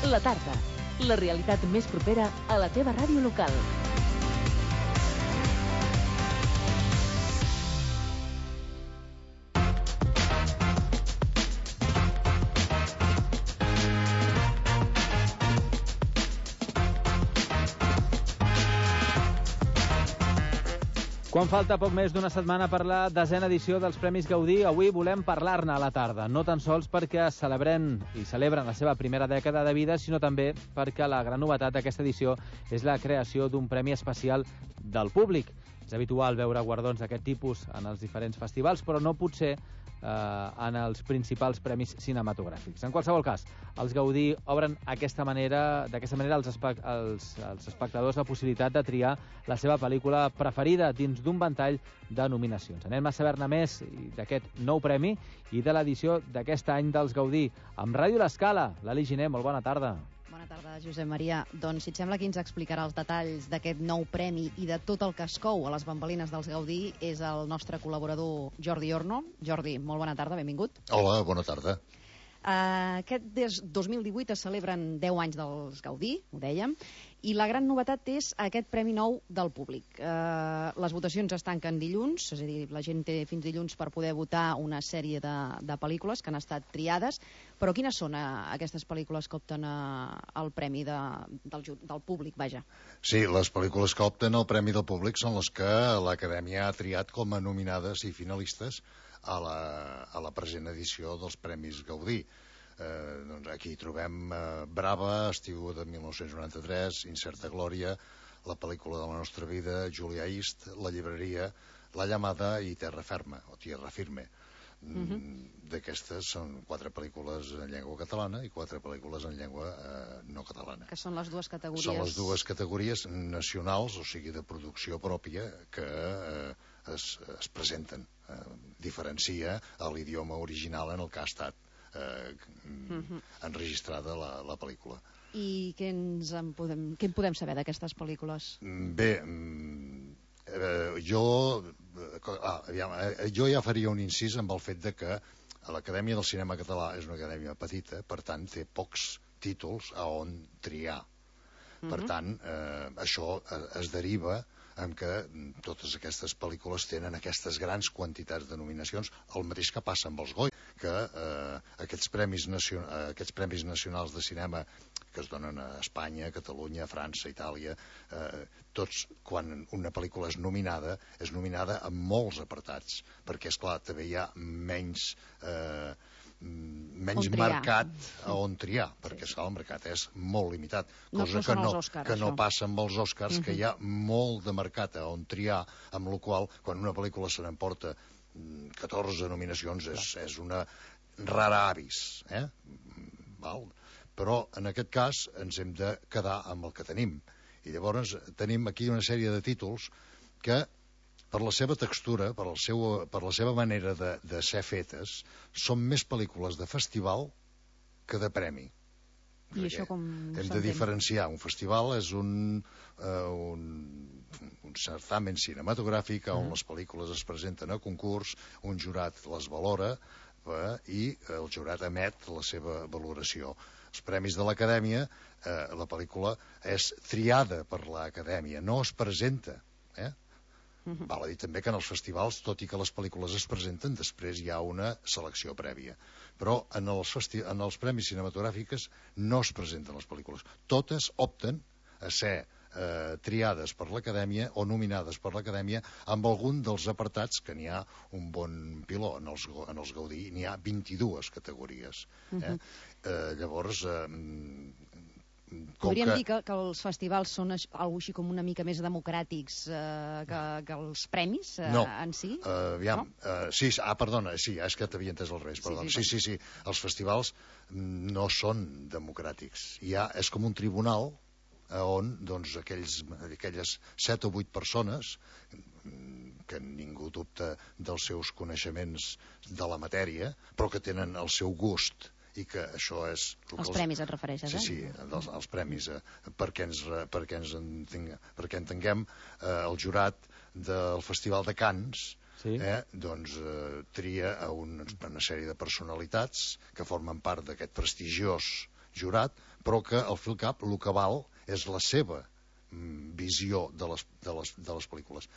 La tarda, la realitat més propera a la teva ràdio local. Quan falta poc més d'una setmana per la 10a edició dels Premis Gaudí, avui volem parlar-ne a la tarda, no tan sols perquè celebren la seva primera dècada de vida, sinó també perquè la gran novetat d'aquesta edició és la creació d'un premi especial del públic. És habitual veure guardons d'aquest tipus en els diferents festivals, però no potser en els principals premis cinematogràfics. En qualsevol cas, els Gaudí obren d'aquesta manera als espectadors la possibilitat de triar la seva pel·lícula preferida dins d'un ventall de nominacions. Anem a saber-ne més d'aquest nou premi i de l'edició d'aquest any dels Gaudí. Amb Ràdio L'Escala, Lali Giner, molt bona tarda. Bona tarda, Josep Maria. Doncs, si et sembla, qui ens explicarà els detalls d'aquest nou premi i de tot el que es cou a les bambalines dels Gaudí és el nostre col·laborador Jordi Orno. Jordi, molt bona tarda, benvingut. Hola, bona tarda. Aquest 2018 es celebren 10 anys dels Gaudí, ho dèiem, i la gran novetat és aquest premi nou del públic. Les votacions es tanquen dilluns, és a dir, la gent té fins dilluns per poder votar una sèrie de pel·lícules que han estat triades, però quines són aquestes pel·lícules que opten al premi del públic, vaja? Sí, les pel·lícules que opten al premi del públic són les que l'Acadèmia ha triat com a nominades i finalistes a la present edició dels Premis Gaudí. Doncs aquí trobem Brava, Estiu de 1993, Incerta Glòria, La pel·lícula de la nostra vida, Julia East, La llibreria, La llamada i Terra ferma, o Tierra firme. D'aquestes són 4 pel·lícules en llengua catalana i 4 pel·lícules en llengua no catalana. Que són les dues categories... Són les dues categories nacionals, o sigui, de producció pròpia, que es presenten. Diferencia l'idioma original en el que ha estat enregistrada la pel·lícula. I què en podem saber d'aquestes pel·lícules? Bé, jo ja faria un incís amb el fet de que l'Acadèmia del Cinema Català és una acadèmia petita, per tant té pocs títols a on triar. Per tant, això es deriva en que totes aquestes pel·lícules tenen aquestes grans quantitats de nominacions, el mateix que passa amb els Goya, que aquests premis nacionals de cinema que es donen a Espanya, Catalunya, França, Itàlia, tots, quan una pel·lícula és nominada en molts apartats, perquè, esclar, també hi ha menys mercat a on triar, perquè el mercat és molt limitat, cosa que no passa amb els Oscars, que hi ha molt de mercat a on triar, amb la qual cosa, quan una pel·lícula se n'emporta 14 nominacions és una rara avis, però en aquest cas ens hem de quedar amb el que tenim, i llavors tenim aquí una sèrie de títols que, per la seva textura, per la seva manera de ser fetes, són més pel·lícules de festival que de premi. I això com hem de diferenciar. Un festival és un certamen cinematogràfic on les pel·lícules es presenten a concurs, un jurat les valora i el jurat emet la seva valoració. Els premis de l'Acadèmia, la pel·lícula és triada per l'Acadèmia, no es presenta. Val a dir també que en els festivals, tot i que les pel·lícules es presenten, després hi ha una selecció prèvia. Però en els premis cinematogràfics no es presenten les pel·lícules. Totes opten a ser triades per l'Acadèmia o nominades per l'Acadèmia amb algun dels apartats, que n'hi ha un bon piló. En els Gaudí n'hi ha 22 categories. Llavors... Podríem dir que els festivals són alguna així com una mica més democràtics que els premis en si? Sí, perdona, sí, és que t'havia entès al revés, perdona. Sí, els festivals no són democràtics. És com un tribunal on aquelles 7 o 8 persones que ningú dubta dels seus coneixements de la matèria, però que tenen el seu gust, i que això és... Els premis et refereixes, Sí, els premis, perquè entenguem el jurat del Festival de Cannes, doncs tria una sèrie de personalitats que formen part d'aquest prestigiós jurat, però que al fi al cap el que val és la seva visió de les pel·lícules.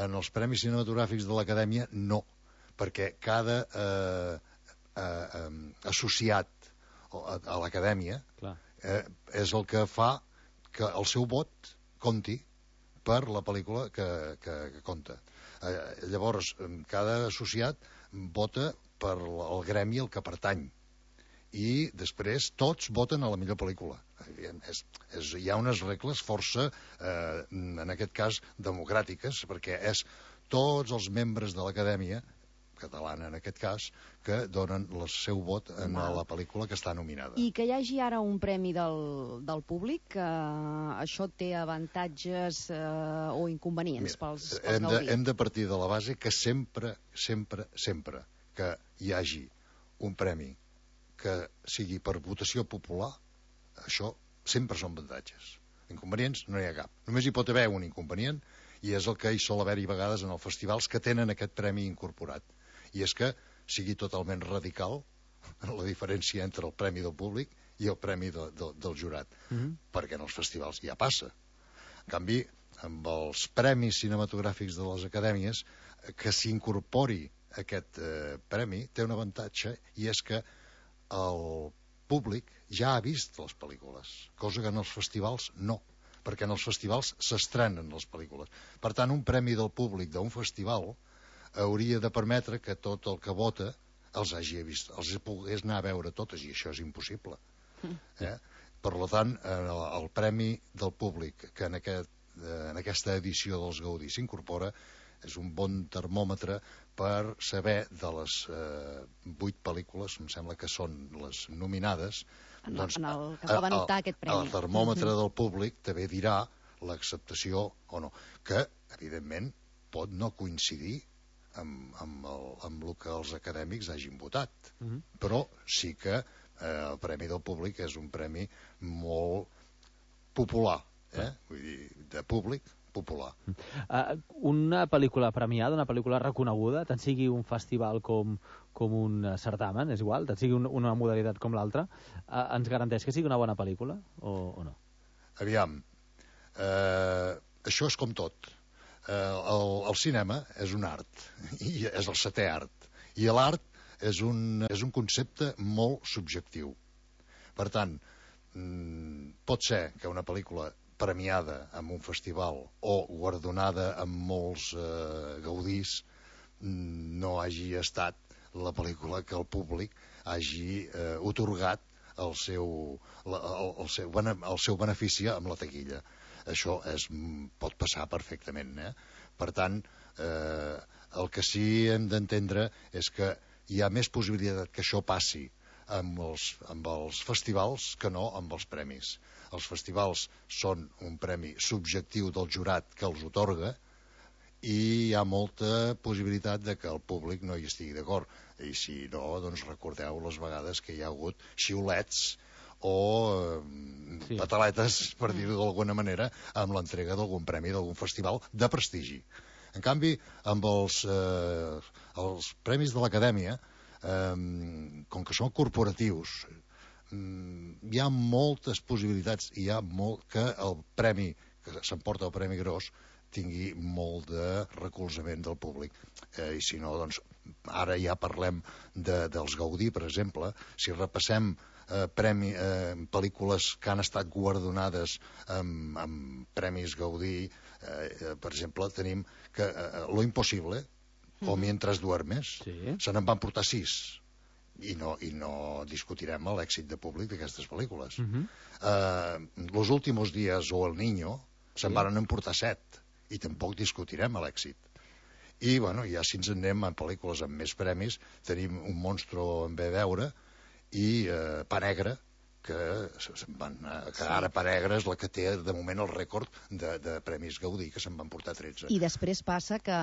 En els Premis Cinematogràfics de l'Acadèmia no, perquè cada associat a l'Acadèmia és el que fa que el seu vot compti per la pel·lícula que compta. Llavors, cada associat vota per el gremi al que pertany i després tots voten a la millor pel·lícula. Hi ha unes regles força, en aquest cas, democràtiques, perquè és tots els membres de l'Acadèmia, catalana en aquest cas, que donen el seu vot a la pel·lícula que està nominada. I que hi hagi ara un premi del públic, això té avantatges o inconvenients pels Gaudí? Hem de partir de la base que sempre que hi hagi un premi que sigui per votació popular, això sempre són avantatges. Inconvenients no hi ha cap. Només hi pot haver un inconvenient, i és el que hi sol haver-hi vegades en els festivals que tenen aquest premi incorporat. I és que sigui totalment radical la diferència entre el premi del públic i el premi del jurat. Perquè en els festivals ja passa. En canvi, amb els premis cinematogràfics de les acadèmies, que s'incorpori aquest premi té un avantatge, i és que el públic ja ha vist les pel·lícules, cosa que en els festivals no, perquè en els festivals s'estrenen les pel·lícules. Per tant, un premi del públic d'un festival hauria de permetre que tot el que vota els hagi vist, els pogués anar a veure totes, i això és impossible. Per tant, el premi del públic que en aquesta edició dels Gaudí s'incorpora és un bon termòmetre per saber de les 8 pel·lícules, em sembla que són les nominades, doncs que poden optar a aquest premi. El termòmetre del públic també dirà l'acceptació o no, que evidentment pot no coincidir amb el que els acadèmics hagin votat, però sí que el premi del públic és un premi molt popular, vull dir, de públic popular. Una pel·lícula premiada, una pel·lícula reconeguda, tant sigui un festival com un certamen, és igual, tant sigui una modalitat com l'altra, ens garanteix que sigui una bona pel·lícula o no? Aviam, això és com tot. El cinema és un art, i és el 7è art, i l'art és un concepte molt subjectiu. Per tant, pot ser que una pel·lícula premiada en un festival o guardonada amb molts gaudís no hagi estat la pel·lícula que el públic hagi otorgat el seu benefici amb la taquilla. Això pot passar perfectament. Per tant, el que sí hem d'entendre és que hi ha més possibilitat que això passi amb els festivals que no amb els premis. Els festivals són un premi subjectiu del jurat que els otorga, i hi ha molta possibilitat de que el públic no hi estigui d'acord. I si no, doncs recordeu les vegades que hi ha hagut xiulets o pataletes, per dir-ho d'alguna manera, amb l'entrega d'algun premi d'algun festival de prestigi. En canvi, amb els premis de l'Acadèmia, com que són corporatius, hi ha moltes possibilitats, hi ha que el premi que s'emporta el premi gros tingui molt de recolzament del públic. I si no, doncs ara ja parlem dels Gaudí, per exemple. Si repassem pel·lícules que han estat guardonades amb premis Gaudí, per exemple, tenim que Lo Imposible o Mientras duermes, se n'en van portar 6, i no discutirem l'èxit de públic d'aquestes pel·lícules. Los últimos días o El Niño se'n van emportar 7, i tampoc discutirem l'èxit. I ja si ens anem a pel·lícules amb més premis, tenim Un monstruo en ve veure i Pa Negre, que ara Pa Negre és la que té de moment el rècord de premis Gaudí, que se'n van portar 13. I després passa que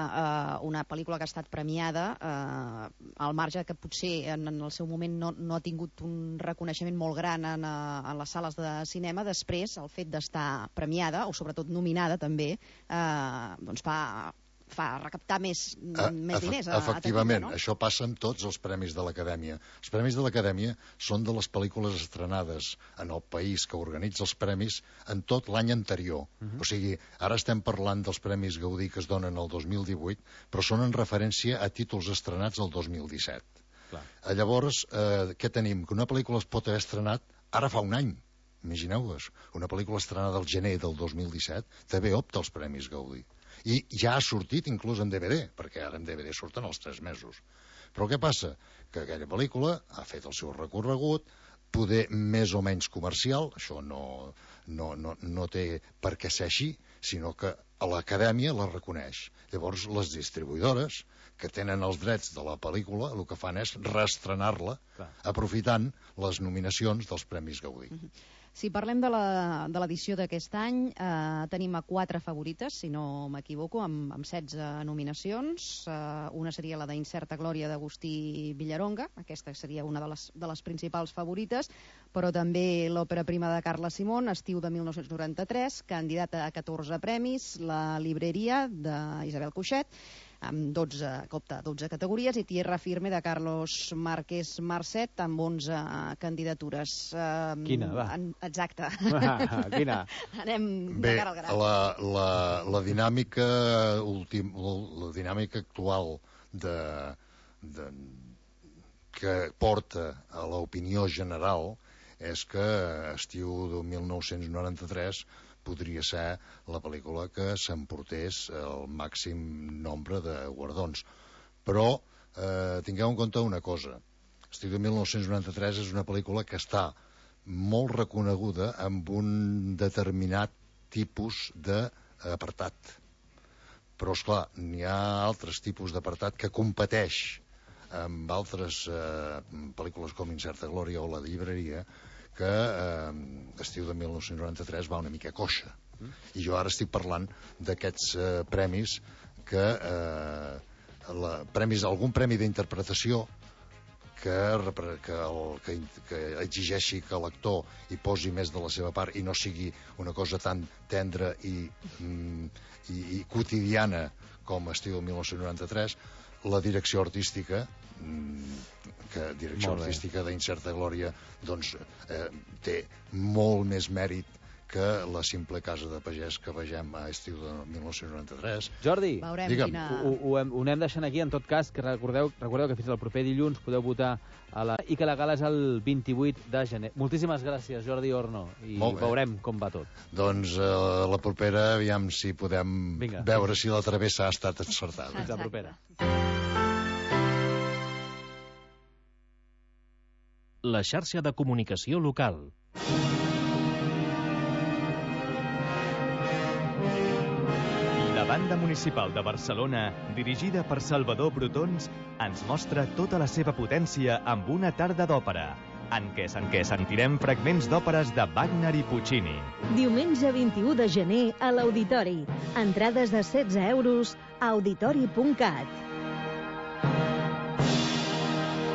una pel·lícula que ha estat premiada, al marge que potser en el seu moment no ha tingut un reconeixement molt gran en les sales de cinema, després el fet d'estar premiada, o sobretot nominada també, doncs fa fa recaptar més diners a Efectivament, taquilla, no? això passa amb tots els premis de l'Acadèmia. Els premis de l'Acadèmia són de les pel·lícules estrenades en el país que organitza els premis en tot l'any anterior. O sigui, ara estem parlant dels Premis Gaudí que es donen el 2018, però són en referència a títols estrenats el 2017. Clar. Llavors, què tenim? Que una pel·lícula es pot haver estrenat ara fa un any. Imagineu-vos, una pel·lícula estrenada al gener del 2017 també opta als Premis Gaudí. I ja ha sortit inclús en DVD, perquè ara en DVD surten els 3 mesos. Però què passa? Que aquella pel·lícula ha fet el seu recorregut, poder més o menys comercial, això no té per què ser així, sinó que a l'Acadèmia la reconeix. Llavors, les distribuïdores que tenen els drets de la pel·lícula el que fan és reestrenar-la aprofitant les nominacions dels Premis Gaudí. Si parlem de l'edició d'aquest any, tenim a 4 favorites, si no m'equivoco, amb 16 nominacions. Una seria la d'Incerta Glòria d'Agustí Villaronga, aquesta seria una de les principals favorites, però també l'òpera prima de Carla Simón, Estiu de 1993, candidata a 14 premis, La Libreria d'Isabel Cuixet, amb 12 categories, i Tierra Firme de Carlos Márquez Marcet, amb 11 candidatures. Quina, va? Exacte. Quina? Anem de cara al gra. La dinàmica actual que porta a l'opinió general és que Estiu de 1993 podria ser la pel·lícula que s'emportés el màxim nombre de guardons. Però tingueu en compte una cosa. Estiu de 1993 és una pel·lícula que està molt reconeguda amb un determinat tipus d'apartat. Però, esclar, n'hi ha altres tipus d'apartat que competeix amb altres pel·lícules com Incerta Glòria o La Llibreria, que Estiu de 1993 va una mica coixa. I jo ara estic parlant d'aquests premis que algun premi d'interpretació que exigeixi que l'actor hi posi més de la seva part i no sigui una cosa tan tendra i quotidiana com Estiu de 1993, la direcció artística d'Incerta Glòria doncs té molt més mèrit que la simple casa de pagès que vegem a Estiu de 1993. Jordi, ho anem deixant aquí. En tot cas, que recordeu que fins al proper dilluns podeu votar i que la gala és el 28 de gener. Moltíssimes gràcies, Jordi Orno, i veurem com va tot. Doncs la propera, aviam si podem veure si la travessa ha estat encertada. Fins la propera. La xarxa de comunicació local. La Banda Municipal de Barcelona, dirigida per Salvador Brotons, ens mostra tota la seva potència amb una tarda d'òpera, en què sentirem fragments d'òperes de Wagner i Puccini. Diumenge 21 de gener a l'Auditori. Entrades de 16 euros a auditori.cat.